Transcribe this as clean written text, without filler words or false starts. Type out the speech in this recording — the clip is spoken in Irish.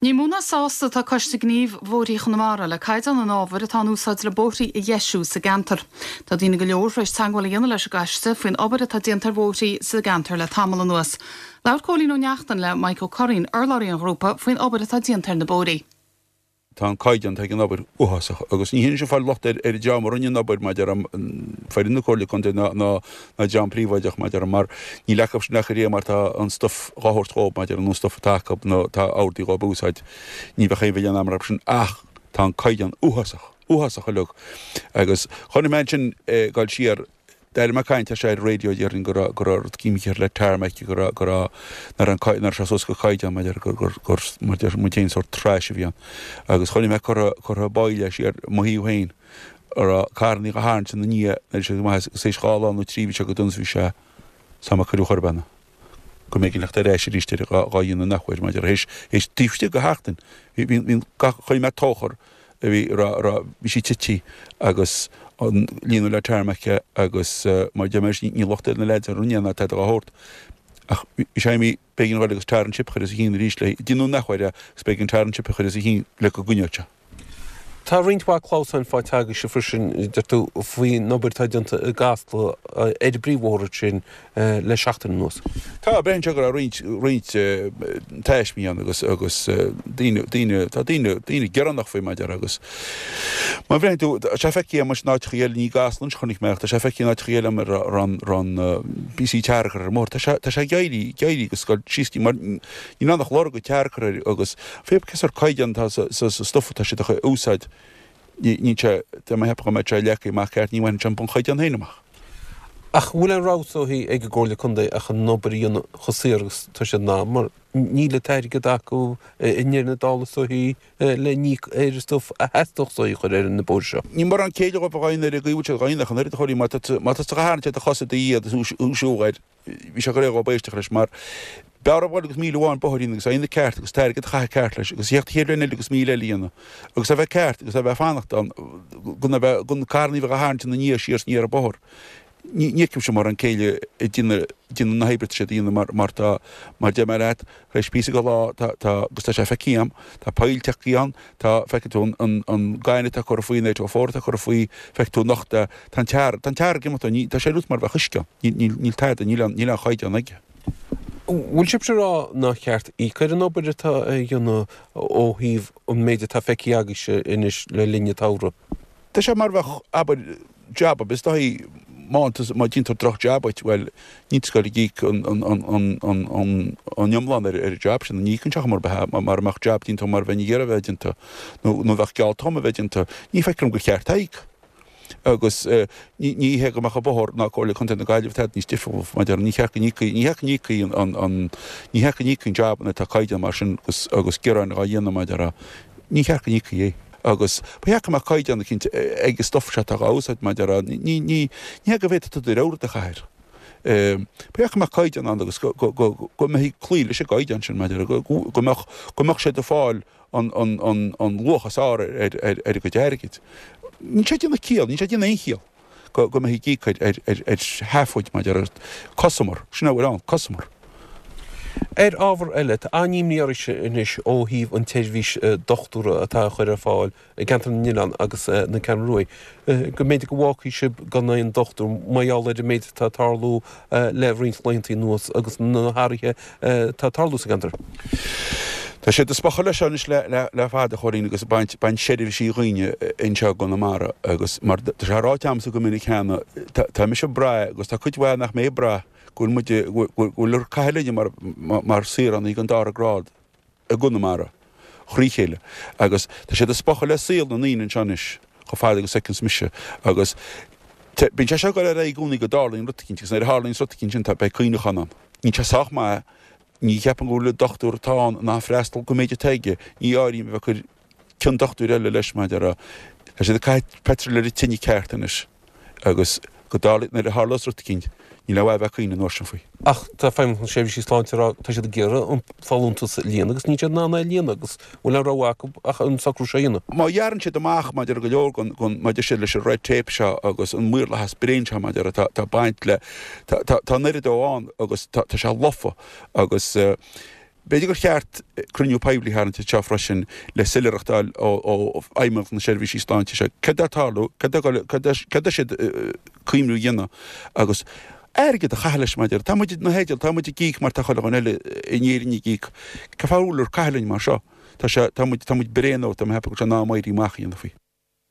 Ní mó ná sásta atá Coiste Gnímh Bhóithrí Chonamara le caighdeán an ábhair atá in úsáid le bóithrí a dheisiú sa gceantar. Tá daoine go leor tar éis teagmháil a dhéanamh leis an gcoiste faoin obair atá déanta ar bhóithrí sa gceantar le tamall anuas. Labhair Cóilín Ó Neachtain le Mike Ó Curraoin, urlabhraí an ghrúpa, faoin obair atá déanta ar na bóithrí. Tá an caighdeán atá ag an obair uafásach agus ní hionann sin fáil locht ar an dream a rinne an obair maidir le foireann na Comhairle Contae ná ná dream príobháideach maidir mar níl acu sin ach ar mar tá an stuif dhá thabhairt dhóibh maidir an stuif atá acu nó tá ordaithe dhóibh a úsáid ní bheadh aon mhilleán agam orthu sin ach tá an caighdeán uafásach, uafásach uilig agus chonaic mé ansin ag dul siar D'éirigh mé ag caint ar sé ar an raidió déarfainn go raibh go raibh rud imithe le tarmac go raibh go raibh nach raibh an cai nach raibh sé suas go caighdeán maidir gur gur gur mar deir muid féin sórt trash a bhí ann agus chonaic mé curtha curtha baill siar mo thaobh féin a raibh carrannaí dhá tharraingt ina ndiaidh nuair a bhí sé go maith agus théis 2 lá nó 3 bhí sé go dona is bhí sé sa ma cuireadh chor ar bith ann go mb'éigean theacht ar ais arís ar dhá dhéanamh an athuair maidir théis théis taobh istigh de sheachtain bhí bhí bhí gach chonaic mé tóchar a bhí raibh raibh bhí sí tite agus an líonadh le tarmac agus mar deir mé ní locht ar na leaids a rinne ná tada dá shórt ach bhí sé imithe b'éigean dhul agus tar and chip a chur os a chionn arís le déanamh an athuair agus b'éigean tar and chip a chur os a chionn le go gcoinneodh sé. Tá roinnt mhaith clamhsáin faighte agaibhse freisin, deir tú, faoin obair atá déanta i gCasla ar an bpríomhbhóthar ansin le seachtain anuas. Tá, braitheann sé go raibh roinnt, roinnt taismí ann agus, agus daoine, daoine, tá daoine, daoine gearánach faoi mar a déarfá agus má bhreathnaíonn tú, tá sé feicthe agam in áiteachaí eile, ní i gCasla anois a chonaic mé ach tá sé feicthe in áiteachaí eile agam a raibh, raibh an píosaí tar curtha ar an mbóthar, tá sé, tá sé ag éirí, ag éirí agus ag dul síos, mar níl ann ach lorg an tar curtha air agus Pé cén sórt caighdeán atá sa stuif atá siad a úsáid, níl sé, tá mé ag ceapadh go mbeadh sé leagtha amach ceart, ní bhaineann sé an bunchaighdeán féin amach. Ach an bhfuil aon rogha is dóichí ag an gComhairle Contae ach an obair a dhéanamh chomh saor agus atá siad in ann, mar níl an t-airgead acu i ndeireadh na dála is dóichí le n-íoc ar an stuif a theastódh is dóichí a chur ar na bóithre seo. Ní mórán céille dhóibh a dhaoine ar an gcaoi a bhfuil siad dhá dhéanamh ach an oiread a Chóilín, má tá tú a tharraingt ar do chosa i do dhiaidh agus thú siúl air, bhí sé go réidh dhóibh éisteacht leis mar b'fhearr a dhul agus míle amháin bóthair a dhéanamh agus é a dhéanamh ceart agus t-airgead a chaitheamh ceart leis agus theacht an chéad bhliain eile agus míle eile a dhéanamh agus a bheith ceart agus a bheith fanacht ann gan a bheith gan carrannaí a bheith á tharraingt ina ndiaidh siar is aniar an bóthar. Ní fheicimse mórán céille ag déanamh déanamh na hoibre atá siad a dhéanamh mar mar tá mar deir mé leat tar éis píosa go lá tá tá agus tá sé feicthe agam tá poill tagtha ann tá feicfidh tú an an an gaineamh atá curtha faoi an 804 atá curtha faoi feicfidh tú nocht é tá an tar tá an tar ag imeacht ní tá sé ar nós mar a bheadh uisce ann. Níl tada, níl aon chaighdeán aige. Bhfuil sibhse ag rá nár cheart íoc ar an obair atá á dhéanamh ó thaobh an méid atá feicthe agaibhse anois le linn an tsamhraidh? Tá sé mar a bheadh, abair, jab ar bith, is dóichí, má má déantar droch jab duit, bhuel, níl tú ag goil ag íoc an iomlán ar an jab sin, ní íocann sé chuma ar bith é, mara mbeadh jab déanta mar a bheinn ag iarraidh a bheith déanta, nó bheadh geallta dhom a bheith déanta, ní feictear dom gur cheart é a íoc. Agus ní hé go mbeadh an bóthar ná Comhairle Contae na Gaillimhe tada níos difriúla maidir ní cheart go n-íocfaí, ní cheart go n-íocfaí an, an, ní cheart go n-íocfaí an jab nuair atá caighdeán mar sin agus, agus gearáin dhá dhéanamh maidir a, ní cheart go n-íocfaí é. Agus ba cheart go mbeadh caighdeán eicínt ag an stuif seo atá dhá úsáid maidir a, ní, ní, ní hé go bhféadfadh tú do rogha rud a chaitheamh air. Ba cheart go mbeadh caighdeán ann agus go, go, go, go mbeifí ag cloí leis an gcaighdeán sin maidir a, go, go mbeadh, go mbeadh siad ag fáil an luach is fearr ar a gcuid airgid. Níl sé ag déanamh ciall, níl sé ag déanamh aon chiall go mbeifí ag íoc ar sheafóid maidir le cosamar, sin a bhfuil ann, cosamar. Ar ábhar eile, tá an-imní oraibhse anois ó thaobh an tseirbhís dochtúra atá á chur ar fáil i gceantar na nOileán agus na Ceathrún Ruaidh, go mb'fhéidir go bhfágfaidh sibh gan aon dochtúir mar gheall ar an méid atá ag tarlú le roinnt laethanta anuas agus na hathruithe atá ag tarlú sa gceantar. Tá siad ag spochadh leis seo anois le fada, a Chóilín, agus ag baint, baint seirbhísí dhaoine anseo i gConamara agus mar tá sé ráite agamsa go minic cheana, tá mise ag brath agus tá cuid mhaith nach mbeidh ag brath go bhfuil muid, go bhfuil ag caitheamh linne mar, mar saoránaigh den dara grád. i gConamara thrí chéile agus tá siad ag spochadh le saol na ndaoine anseo anois chomh fada agus a fheiceanns mise agus bíonn sé seo ag dul ar aghaidh i gcónaí go dtarlaíonn rud eicínt agus nuair a tharlaíonns rud eicínt sin tá beidh cuimhneachán ann. Níl sé sách maith, ní cheapaim go bhfuil an dochtúir atá ann in ann freastal don méid atá aige, ní áirím a bheith ag cur cionn dochtúir eile leis mar a déarfá. Tá siad ag caitheamh petrol ar an tine ceart anois agus go dtarlaí, nuair a tharlós rud eicínt, níl aon mhaith a bheith ag caoineadh an uair sin faoi. Ach tá Feidhmeannacht na Seirbhísí Sláinte ag rá tá siad ag iarraidh an folúntas a líonadh agus níl siad in ann é a líonadh agus bhfuil aon rogha acu ach an socrú seo a dhéanamh. Má ghearrann siad amach maidir go leor den, den, maidir siad leis an red tape seo agus an maorlathas bréan seo maidir tá, tá baint le, tá, tá, tá an oiread dó ann agus tá, tá sé lofa agus. B'fhéidir gur cheart cruinniú poiblí a tharraingt anseo freisin le soiléireacht a fháil ó Fheidhmeannacht na Seirbhísí Sláinte seo. Céard atá ag tarlú? Céard tá siad cuimhniú a dhéanamh? Agus airgead a chaitheamh leis mar a deir. Tá muid na theideal, tá muid ag íoc mar tá chuile dhuine eile in Éirinn ag íoc. Cén fáth a bhfuil ag caitheamh linn mar seo? Tá sé, tá muid, tá muid bréan ó, tá mé ag ceapadh go bhfuil sé in am éirí amach a dhéanamh faoi.